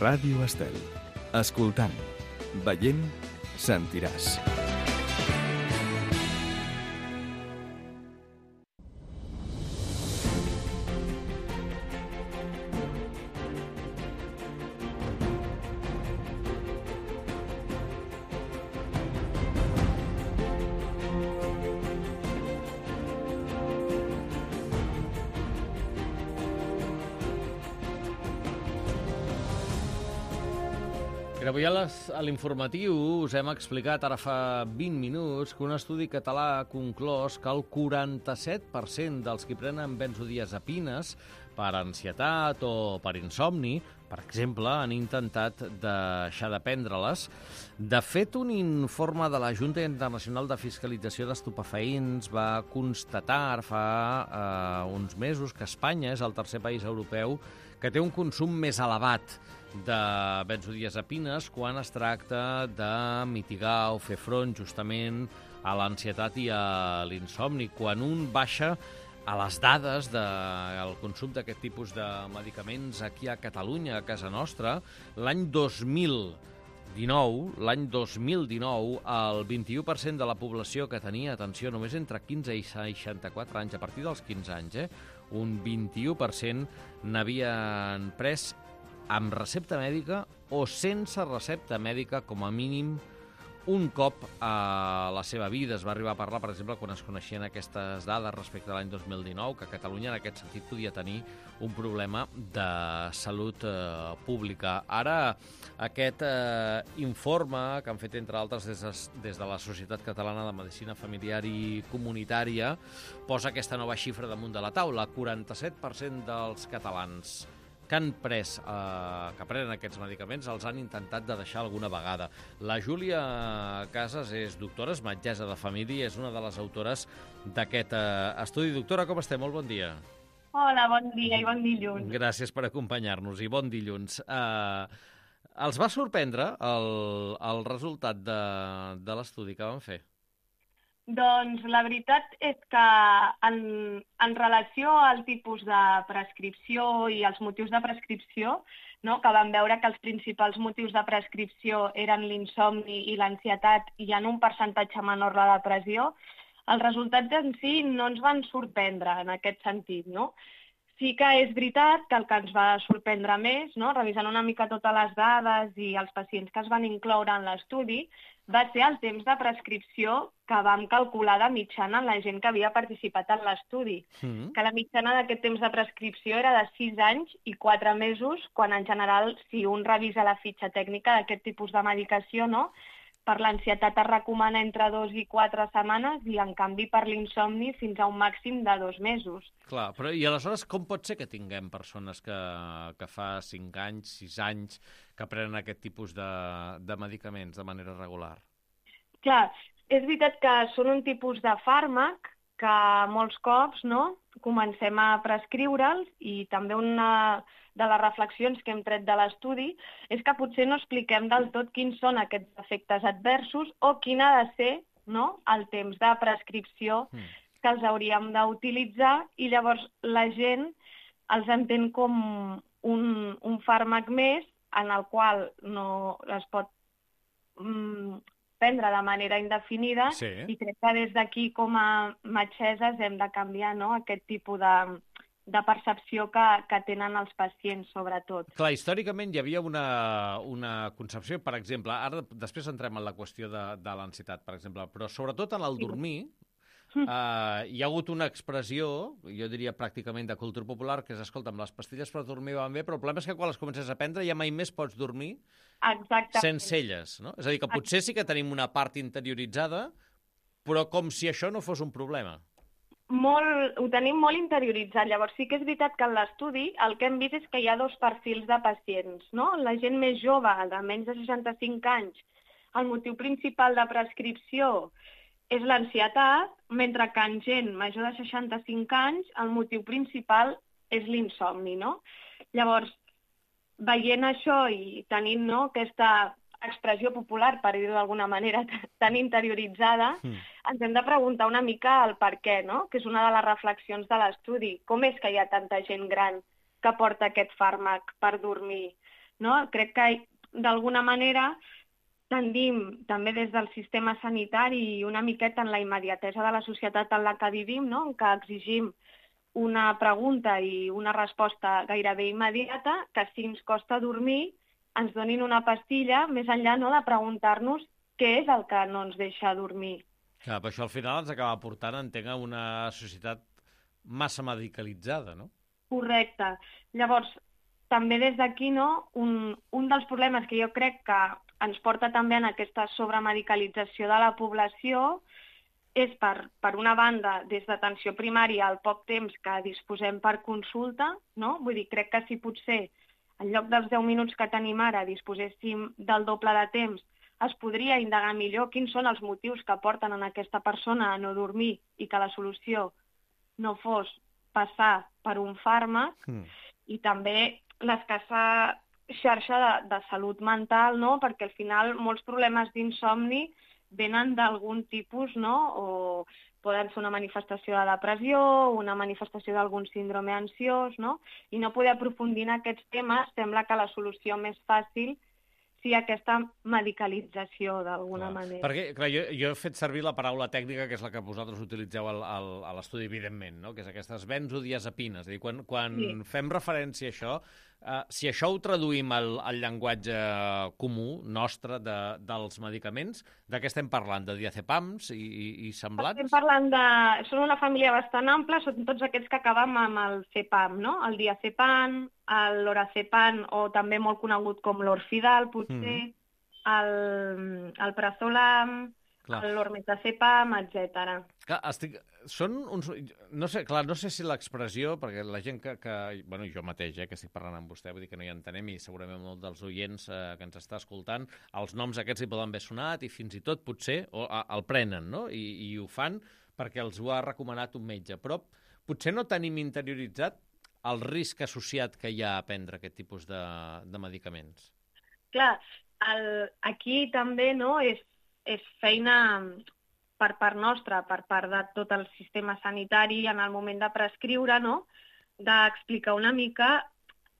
Ràdio Estel. Escoltant, veient, sentiràs. Avui a l'informatiu us hem explicat ara fa 20 minuts que un estudi català ha conclòs que el 47% dels qui prenen benzodiazepines per ansietat o per insomni, per exemple, han intentat deixar de prendre-les. De fet, un informe de la Junta Internacional de Fiscalització d'Estupefaents va constatar fa uns mesos que Espanya és el tercer país europeu que té un consum més elevat de benzodiazepines quan es tracta de mitigar o fer front justament a l'ansietat i a l'insomni. Quan un baixa a les dades del consum d'aquest tipus de medicaments aquí a Catalunya, a casa nostra, l'any 2019, el 21% de la població que tenia, atenció, només entre 15 i 64 anys, a partir dels 15 anys, un 21% n'havien pres amb recepta mèdica o sense recepta mèdica, com a mínim, un cop a la seva vida. Es va arribar a parlar, per exemple, quan es coneixien aquestes dades respecte a l'any 2019, que Catalunya en aquest sentit podia tenir un problema de salut pública. Ara, aquest informe que han fet, entre altres, des de la Societat Catalana de Medicina Familiar i Comunitària, posa aquesta nova xifra damunt de la taula. 47% dels catalans que han pres, que prenen aquests medicaments, els han intentat de deixar alguna vegada. La Júlia Casas és doctora, és metgessa de família, és una de les autores d'aquest estudi. Doctora, com estem? Molt bon dia. Hola, bon dia i bon dilluns. Gràcies per acompanyar-nos i bon dilluns. Els va sorprendre el resultat de l'estudi que van fer? Doncs la veritat és que en relació al tipus de prescripció i els motius de prescripció, no, que vam veure que els principals motius de prescripció eren l'insomni i l'ansietat i en un percentatge menor la depressió, els resultats en si no ens van sorprendre en aquest sentit, no? Sí que és veritat que el que ens va sorprendre més, no, revisant una mica totes les dades i els pacients que es van incloure en l'estudi, va ser el temps de prescripció que vam calcular de mitjana en la gent que havia participat en l'estudi. Que la mitjana d'aquest temps de prescripció era de 6 anys i 4 mesos, quan en general, si un revisa la fitxa tècnica d'aquest tipus de medicació, no, per l'ansietat es recomana entre 2 i 4 setmanes i, en canvi, per l'insomni fins a un màxim de 2 mesos. Clar, però i aleshores com pot ser que tinguem persones que fa 5 anys, 6 anys, que prenen aquest tipus de medicaments de manera regular? Clar, és veritat que són un tipus de fàrmac que molts cops, no, comencem a prescriure'ls, i també una de les reflexions que hem tret de l'estudi és que potser no expliquem del tot quins són aquests efectes adversos o quin ha de ser, no, el temps de prescripció que els hauríem d'utilitzar, i llavors la gent els entén com un fàrmac més en el qual no es pot prendre de manera indefinida. Sí. I crec que des d'aquí, com a metgesses, hem de canviar, no, aquest tipus de percepció que tenen els pacients, sobretot. Clar, històricament hi havia una concepció, per exemple, ara després entrem en la qüestió de l'ansietat, per exemple, però sobretot en el dormir, hi ha hagut una expressió, jo diria pràcticament de cultura popular, que és, escolta'm, les pastilles per dormir van bé, però el problema és que quan les comences a prendre ja mai més pots dormir sense elles, no? És a dir, que potser sí que tenim una part interioritzada, però com si això no fos un problema. Ho tenim molt interioritzat. Llavors sí que és veritat que en l'estudi el que hem vist és que hi ha 2 perfils de pacients, no? La gent més jove, de menys de 65 anys, el motiu principal de prescripció és l'ansietat, mentre que en gent major de 65 anys el motiu principal és l'insomni, no? Llavors, veient això i tenint, no, aquesta expressió popular, per dir-ho d'alguna manera, tan interioritzada, ens hem de preguntar una mica el per què, no? Que és una de les reflexions de l'estudi. Com és que hi ha tanta gent gran que porta aquest fàrmac per dormir? no? Crec que d'alguna manera tendim també des del sistema sanitari una miqueta en la immediatesa de la societat en la que vivim, no? En què exigim una pregunta i una resposta gairebé immediata, que si ens costa dormir ens donin una pastilla, més enllà, no?, de preguntar-nos què és el que no ens deixa dormir. Clar, però això al final ens acaba portant, entenc, a una societat massa medicalitzada, no? Correcte. Llavors, també des d'aquí, no, un dels problemes que jo crec que ens porta també en aquesta sobremedicalització de la població és, per una banda, des d'atenció primària, el poc temps que disposem per consulta, no? Vull dir, crec que si potser en lloc dels 10 minuts que tenim ara disposéssim del doble de temps, es podria indagar millor quins són els motius que porten a aquesta persona a no dormir i que la solució no fos passar per un fàrmac, i també l'escassa xarxa de salut mental, no? Perquè al final molts problemes d'insomni venen d'algun tipus, no? O poden ser una manifestació de depressió, una manifestació d'algun síndrome ansiós, no? I no poder aprofundir en aquests temes sembla que la solució més fàcil sigui aquesta medicalització, d'alguna manera. Perquè, clar, jo he fet servir la paraula tècnica, que és la que vosaltres utilitzeu a l'estudi, evidentment, no? Que és aquestes benzodiazepines. És a dir, quan fem referència a això, si això ho traduïm al llenguatge comú nostre dels medicaments, de què estem parlant? De diazepams i semblants? Estem parlant de... Són una família bastant ampla, són tots aquests que acabem amb el cepam, no? El diazepam, l'orazepam, o també molt conegut com l'orfidal, potser, el prazolam, l'ormetazepam, etc. Són uns... No sé si l'expressió, perquè la gent bueno, jo mateix, que estic parlant amb vostè, vull dir que no hi entenem, i segurament molt dels oients que ens està escoltant, els noms aquests hi poden haver sonat i fins i tot potser el prenen, no? I ho fan perquè els ho ha recomanat un metge. Però potser no tenim interioritzat el risc associat que hi ha a prendre aquest tipus de medicaments. Clar, aquí també, no, és feina per part nostra, per part de tot el sistema sanitari en el moment de prescriure, no?, d'explicar una mica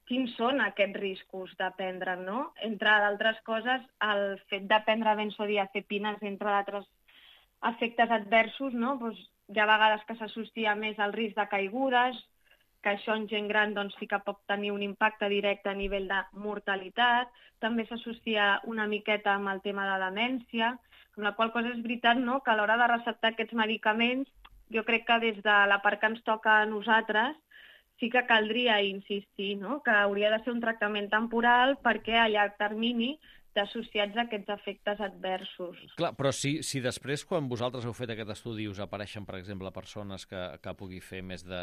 quins són aquests riscos de prendre, no? Entre d'altres coses, el fet de prendre benzodiazepines, entre d'altres efectes adversos, no? Doncs hi ha vegades que s'associa més al risc de caigudes, que això en gent gran doncs, sí que pot tenir un impacte directe a nivell de mortalitat, també s'associa una miqueta amb el tema de demència, amb la qual cosa és veritat, no?, que a l'hora de receptar aquests medicaments, jo crec que des de la part que ens toca a nosaltres sí que caldria insistir, no?, que hauria de ser un tractament temporal perquè a llarg termini associats a aquests efectes adversos. Clar, però si després, quan vosaltres heu fet aquest estudi, us apareixen, per exemple, persones que pugui fer més de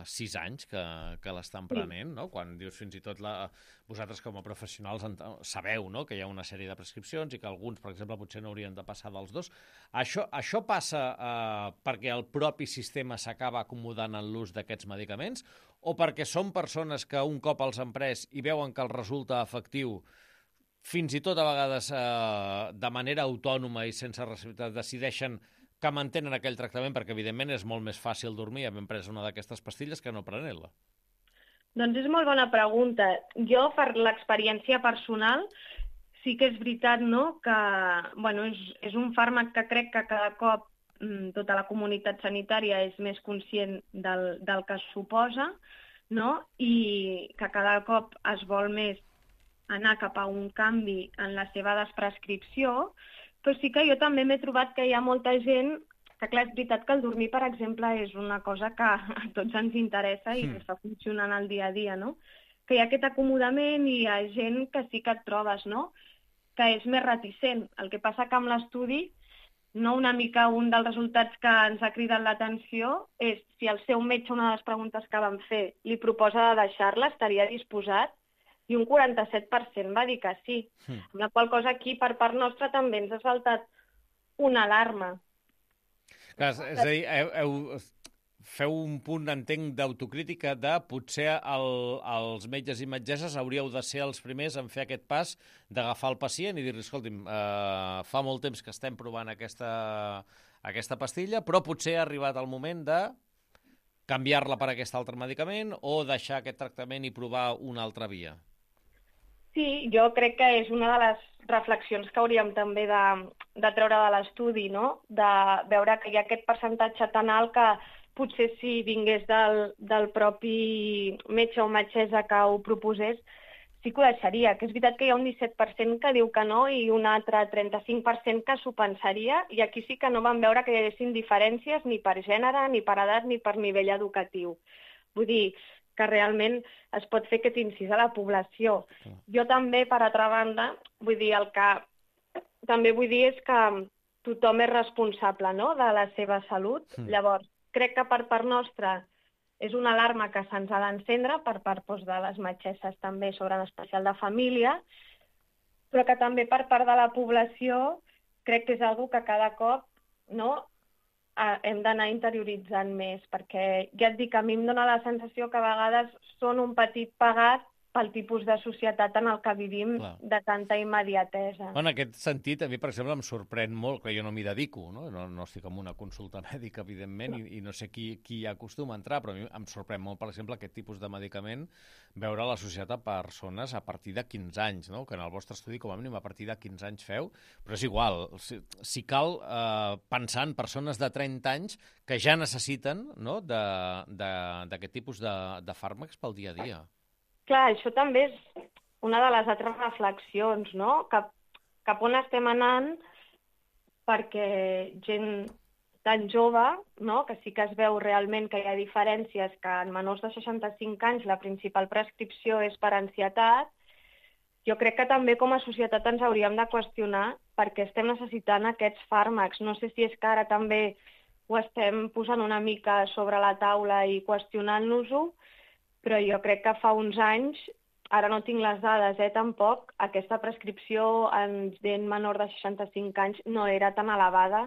6 anys que l'estan prenent, no? Quan dius fins i tot vosaltres com a professionals sabeu, no?, que hi ha una sèrie de prescripcions i que alguns, per exemple, potser no haurien de passar dels 2. Això passa perquè el propi sistema s'acaba acomodant en l'ús d'aquests medicaments o perquè són persones que un cop els han pres i veuen que els resulta efectiu, fins i tot a vegades de manera autònoma i sense responsabilitat decideixen que mantenen aquell tractament perquè evidentment és molt més fàcil dormir havent pres una d'aquestes pastilles que no prenent-la? Doncs és molt bona pregunta. Jo, per l'experiència personal, sí que és veritat, no?, que bueno, és un fàrmac que crec que cada cop tota la comunitat sanitària és més conscient del que suposa, no?, i que cada cop es vol més anar cap a un canvi en la seva desprescripció, però sí que jo també m'he trobat que hi ha molta gent que, clar, és veritat que el dormir, per exemple, és una cosa que a tots ens interessa i que està funcionant al dia a dia, no? Que hi ha aquest acomodament i hi ha gent que sí que et trobes, no?, que és més reticent. El que passa que amb l'estudi, no, una mica un dels resultats que ens ha cridat l'atenció és si el seu metge, una de les preguntes que vam fer, li proposa de deixar-la, estaria disposat, i un 47% va dir que sí. Amb la qual cosa aquí, per part nostra, també ens ha saltat una alarma. Clar, és a dir, feu un punt, entenc, d'autocrítica de potser els metges i metgesses hauríeu de ser els primers en fer aquest pas d'agafar el pacient i dir-li, escolti'm, fa molt temps que estem provant aquesta pastilla, però potser ha arribat el moment de canviar-la per aquest altre medicament o deixar aquest tractament i provar una altra via. Sí, jo crec que és una de les reflexions que hauríem també de treure de l'estudi, no? De veure que hi ha aquest percentatge tan alt que potser si vingués del propi metge o metgessa que ho proposés, sí que ho deixaria, que és veritat que hi ha un 17% que diu que no i un altre 35% que s'ho pensaria, i aquí sí que no vam veure que hi haguessin diferències ni per gènere, ni per edat, ni per nivell educatiu. Vull dir que realment es pot fer aquest incís a la població. Jo també, per altra banda, vull dir, el que també vull dir és que tothom és responsable, no?, de la seva salut. Llavors, crec que per part nostra és una alarma que se'ns ha d'encendre per part de les metgesses també sobre l'especial de família, però que també per part de la població crec que és una que cada cop, no?, hem d'anar interioritzant més, perquè ja et dic, a mi em dóna la sensació que a vegades són un petit pagat pel tipus de societat en el que vivim, de tanta immediatesa. En aquest sentit, a mi, per exemple, em sorprèn molt, que jo no m'hi dedico, no estic en una consulta mèdica, evidentment, i no sé qui hi acostuma a entrar, però a mi em sorprèn molt, per exemple, aquest tipus de medicament, veure a la societat a persones a partir de 15 anys, no? Que en el vostre estudi, com a mínim, a partir de 15 anys feu, però és igual, si cal pensar en persones de 30 anys que ja necessiten, no?, d'aquest tipus de fàrmacs pel dia a dia. Clar, això també és una de les altres reflexions, no?, cap on estem anant, perquè gent tan jove, no?, que sí que es veu realment que hi ha diferències, que en menors de 65 anys la principal prescripció és per ansietat. Jo crec que també com a societat ens hauríem de qüestionar per què estem necessitant aquests fàrmacs. No sé si és que ara també ho estem posant una mica sobre la taula i qüestionant-nos-ho, però jo crec que fa uns anys, ara no tinc les dades, tampoc, aquesta prescripció en gent menor de 65 anys no era tan elevada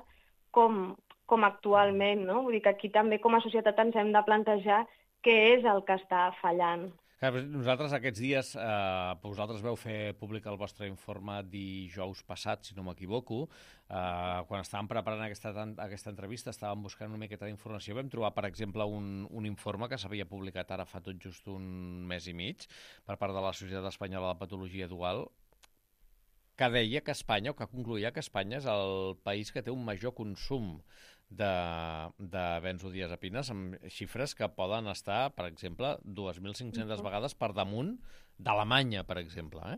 com actualment, no? Vull dir que aquí també com a societat ens hem de plantejar què és el que està fallant. Nosaltres aquests dies, vosaltres veu fer públic el vostre informe dijous passat, si no m'equivoco. Quan estàvem preparant aquesta entrevista, estàvem buscant una miqueta d'informació. Vam trobar, per exemple, un informe que s'havia publicat ara fa tot just un mes i mig per part de la Societat Espanyola de Patologia Dual, que deia que Espanya, o que concluïa que Espanya és el país que té un major consum de benzodiazepines, amb xifres que poden estar, per exemple, 2.500 vegades per damunt d'Alemanya, per exemple.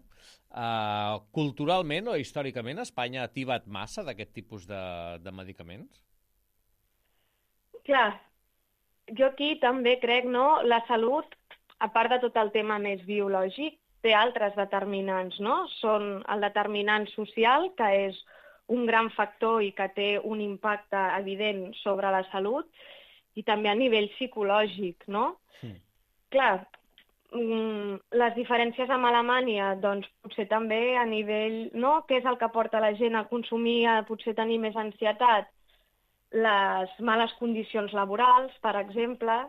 Culturalment o històricament, Espanya ha tibat massa d'aquest tipus de medicaments? Clar, jo aquí també crec, no?, la salut, a part de tot el tema més biològic, té altres determinants, no? Són el determinant social, que és un gran factor i que té un impacte evident sobre la salut, i també a nivell psicològic, no? Sí. Clar, les diferències amb Alemanya, doncs potser també a nivell, no?, què és el que porta la gent a consumir, a potser tenir més ansietat? Les males condicions laborals, per exemple,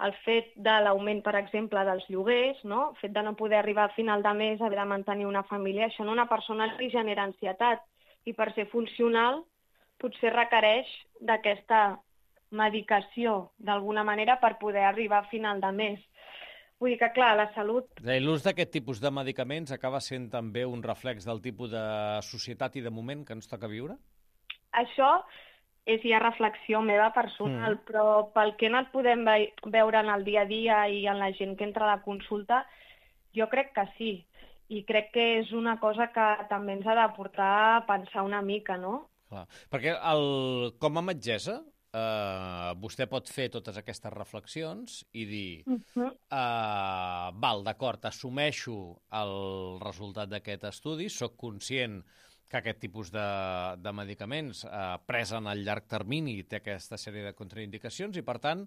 el fet de l'augment, per exemple, dels lloguers, no?, el fet de no poder arribar a final de mes, haver de mantenir una família, això en una persona li genera ansietat, i per ser funcional potser requereix d'aquesta medicació, d'alguna manera, per poder arribar a final de mes. Vull dir que, clar, la salut... L'ús d'aquest tipus de medicaments acaba sent també un reflex del tipus de societat i de moment que ens toca viure? Això és ja reflexió meva personal, però pel que no et podem veure en el dia a dia i en la gent que entra a la consulta, jo crec que sí. I crec que és una cosa que també ens ha de portar a pensar una mica, no? Clar, perquè com a metgessa, vostè pot fer totes aquestes reflexions i dir, val, d'acord, assumeixo el resultat d'aquest estudi, sóc conscient que aquest tipus de medicaments pres en el llarg termini té aquesta sèrie de contraindicacions i, per tant,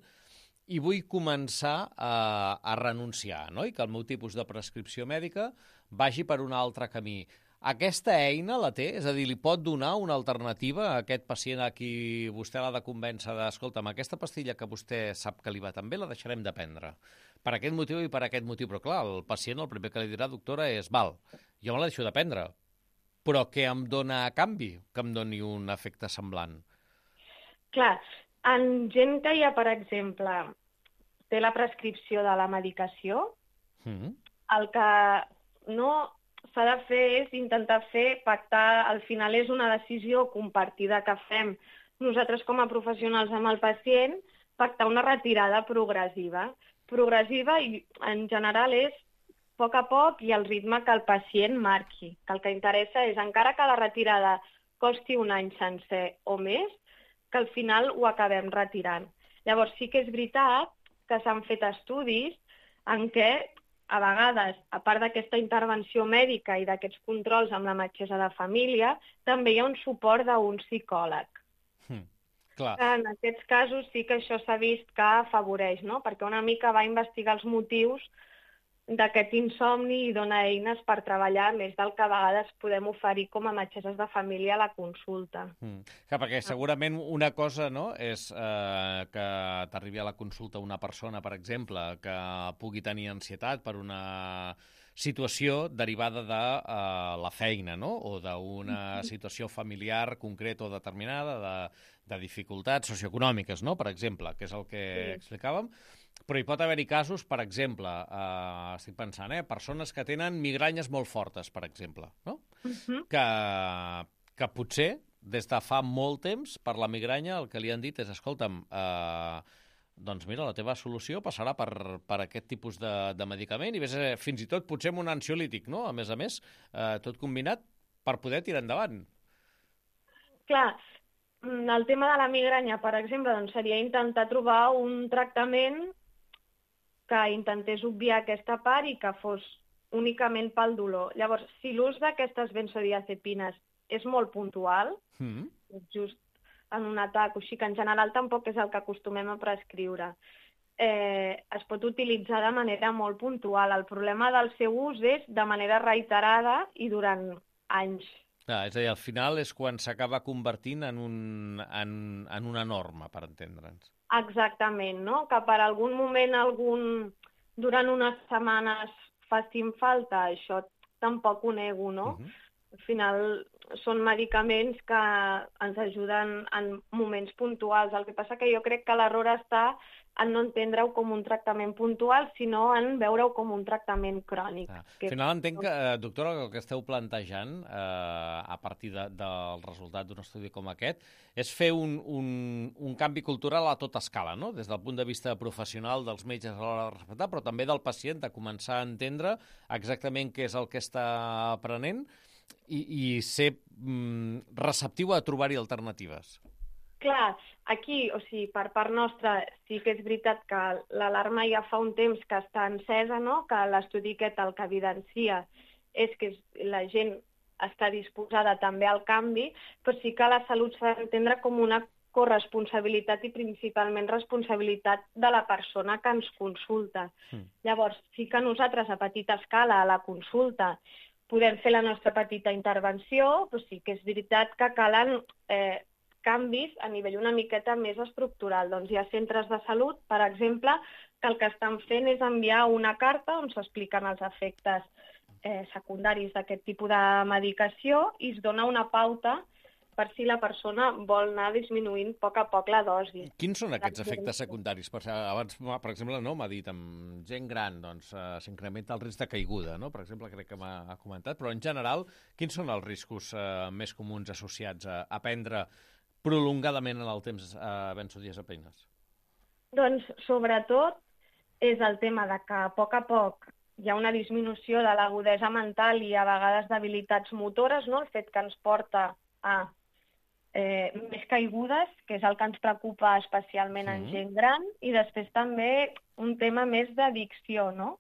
i vull començar a renunciar, no? I que el meu tipus de prescripció mèdica vagi per un altre camí. Aquesta eina la té? És a dir, li pot donar una alternativa a aquest pacient a qui vostè l'ha de convèncer de, escolta'm, aquesta pastilla que vostè sap que li va tan bé la deixarem de prendre. Per aquest motiu i per aquest motiu. Però clar, el pacient el primer que li dirà, doctora, és, val, jo me la deixo de prendre, però què em dona a canvi que em doni un efecte semblant? Clar, en gent que ja, per exemple, té la prescripció de la medicació, el que no s'ha de fer és intentar pactar, al final és una decisió compartida que fem nosaltres com a professionals amb el pacient, pactar una retirada progressiva. Progressiva i en general és a poc i al ritme que el pacient marqui. Que el que interessa és, encara que la retirada costi un any sencer o més, que al final ho acabem retirant. Llavors sí que és veritat que s'han fet estudis en què a vegades, a part d'aquesta intervenció mèdica i d'aquests controls amb la metgessa de família, també hi ha un suport d'un psicòleg. Clar. En aquests casos sí que això s'ha vist que afavoreix, no? Perquè una mica va investigar els motius d'aquest insomni i dona eines per treballar més del que a vegades podem oferir com a metgesses de família a la consulta. Clar, perquè segurament una cosa, no, és que t'arribi a la consulta una persona, per exemple, que pugui tenir ansietat per una situació derivada de la feina, no? O d'una situació familiar concreta o determinada, de dificultats socioeconòmiques, no? Per exemple, que és el que explicàvem. Però hi pot haver-hi casos, per exemple, estic pensant, persones que tenen migranyes molt fortes, per exemple, no? Que potser, des de fa molt temps, per la migranya, el que li han dit és, escolta'm, doncs mira, la teva solució passarà per aquest tipus de medicament i fins i tot potser amb un ansiolític, no? A més, tot combinat per poder tirar endavant. Clar, el tema de la migranya, per exemple, doncs seria intentar trobar un tractament que intentés obviar aquesta part i que fos únicament pel dolor. Llavors, si l'ús d'aquestes benzodiazepines és molt puntual, just en un atac, així que en general tampoc és el que acostumem a prescriure, es pot utilitzar de manera molt puntual. El problema del seu ús és de manera reiterada i durant anys. És a dir, al final és quan s'acaba convertint en una norma, per entendre'ns. Exactament, no? Que per algun moment, durant unes setmanes facin falta, això tampoc ho nego, no? Al final són medicaments que ens ajuden en moments puntuals. El que passa que jo crec que l'error està en no entendre-ho com un tractament puntual, sinó en veure-ho com un tractament crònic. Al final entenc que, doctora, el que esteu plantejant a partir del resultat d'un estudi com aquest és fer un canvi cultural a tota escala, no? Des del punt de vista professional dels metges a l'hora de respectar, però també del pacient, de començar a entendre exactament què és el que està aprenent i ser receptiu a trobar-hi alternatives. Clar, aquí, o sigui, per part nostra, sí que és veritat que l'alarma ja fa un temps que està encesa, no? Que l'estudi aquest el que evidencia és que la gent està disposada també al canvi, però sí que la salut s'ha d'entendre com una corresponsabilitat i principalment responsabilitat de la persona que ens consulta. Llavors, sí que nosaltres a petita escala, a la consulta, podem fer la nostra petita intervenció, però sí que és veritat que calen canvis a nivell una miqueta més estructural. Doncs hi ha centres de salut, per exemple, que el que estan fent és enviar una carta on s'expliquen els efectes secundaris d'aquest tipus de medicació i es dona una pauta per si la persona vol anar disminuint a poc la dosi. Quins són aquests efectes secundaris? Abans, per exemple, m'ha dit, amb gent gran s'incrementa el risc de caiguda, no? Per exemple, crec que m'ha comentat, però en general, quins són els riscos més comuns associats a prendre prolongadament en el temps benzodiazepines? Doncs, sobretot, és el tema de que a poc hi ha una disminució de l'agudesa mental i a vegades d'habilitats motores, no? El fet que ens porta a més caigudes, que és el que ens preocupa especialment en gent gran, i després també un tema més d'addicció, no?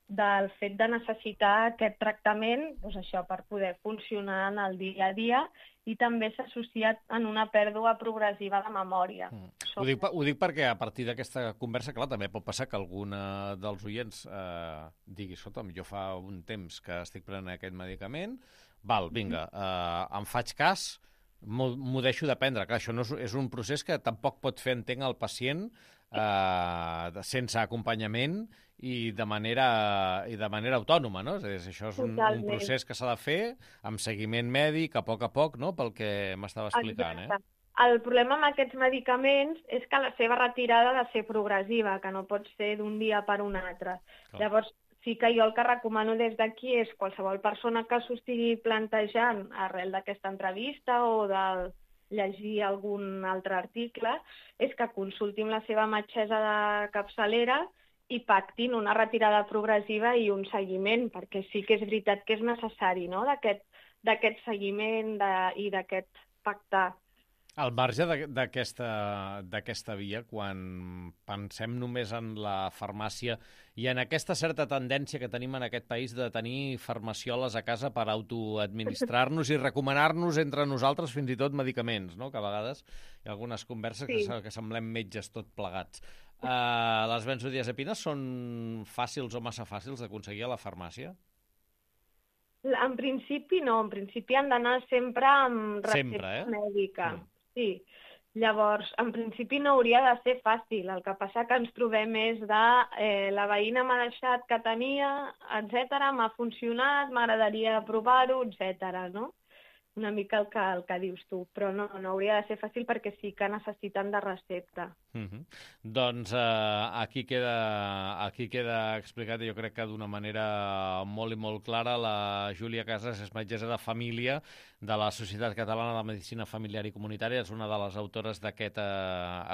Del fet de necessitar aquest tractament, doncs això, per poder funcionar en el dia a dia, i també s'ha associat en una pèrdua progressiva de memòria. Ho dic perquè a partir d'aquesta conversa, clar, també pot passar que algun dels oients digui, escolta'm, jo fa un temps que estic prenent aquest medicament, vinga, em faig cas, m'ho deixo de prendre. Clar, això no és un procés que tampoc pot fer, entenc, el pacient sense acompanyament i de manera autònoma, no? És a dir, això és un procés que s'ha de fer amb seguiment mèdic, a poc, no?, pel que m'estava explicant. Exacte. El problema amb aquests medicaments és que la seva retirada ha de ser progressiva, que no pot ser d'un dia per un altre. Llavors, sí que jo el que recomano des d'aquí és qualsevol persona que s'ho estigui plantejant arrel d'aquesta entrevista o de llegir algun altre article, és que consultin la seva metgessa de capçalera i pactin una retirada progressiva i un seguiment, perquè sí que és veritat que és necessari, no?, d'aquest seguiment i d'aquest pactar. Al marge d'aquesta via, quan pensem només en la farmàcia i en aquesta certa tendència que tenim en aquest país de tenir farmacioles a casa per autoadministrar-nos i recomanar-nos entre nosaltres fins i tot medicaments, no?, que a vegades hi ha algunes converses que semblem metges tot plegats. Les benzodiazepines són fàcils o massa fàcils d'aconseguir a la farmàcia? En principi no, en principi han d'anar sempre amb recepta mèdica. Sí, llavors, en principi no hauria de ser fàcil, el que passa que ens trobem més de la veïna m'ha deixat que tenia, etc., m'ha funcionat, m'agradaria provar-ho, etc., no? Una mica el que dius tu, però no hauria de ser fàcil perquè sí que necessiten de recepta. Doncs aquí queda explicat, jo crec que d'una manera molt i molt clara. La Júlia Casas és metgessa de família de la Societat Catalana de Medicina Familiar i Comunitària, és una de les autores d'aquest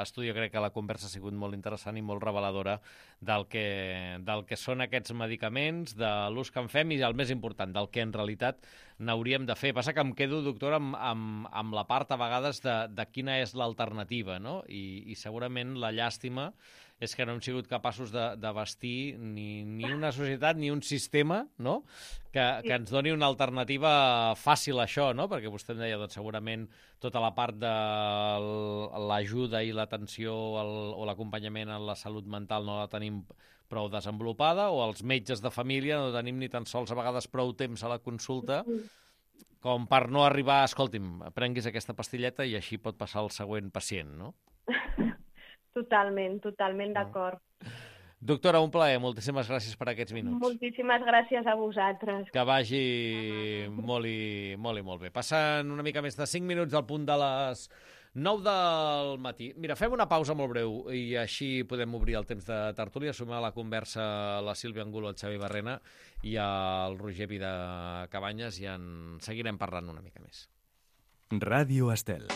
estudi. Jo crec que la conversa ha sigut molt interessant i molt reveladora del que són aquests medicaments, de l'ús que en fem i, el més important, del que en realitat n'hauríem de fer. Passa que em quedo, doctora, amb la part a vegades de quina és l'alternativa, no? I segurament la llàstima és que no hem sigut capaços de bastir ni una societat ni un sistema, no?, que ens doni una alternativa fàcil a això, no? Perquè vostè em deia, doncs segurament tota la part de l'ajuda i l'atenció o l'acompanyament en la salut mental no la tenim prou desenvolupada, o els metges de família no tenim ni tan sols a vegades prou temps a la consulta com per no arribar, escolti'm, prenguis aquesta pastilleta i així pot passar el següent pacient, no? Totalment d'acord. Doctora, un plaer. Moltíssimes gràcies per aquests minuts. Moltíssimes gràcies a vosaltres. Que vagi molt i molt bé. Passen una mica més de 5 minuts del punt de les 9 del matí. Mira, fem una pausa molt breu i així podem obrir el temps de tertúlia, sumar a la conversa la Sílvia Angulo, el Xavi Barrena i el Roger Vida Cabanyes, i en seguirem parlant una mica més. Ràdio Estel.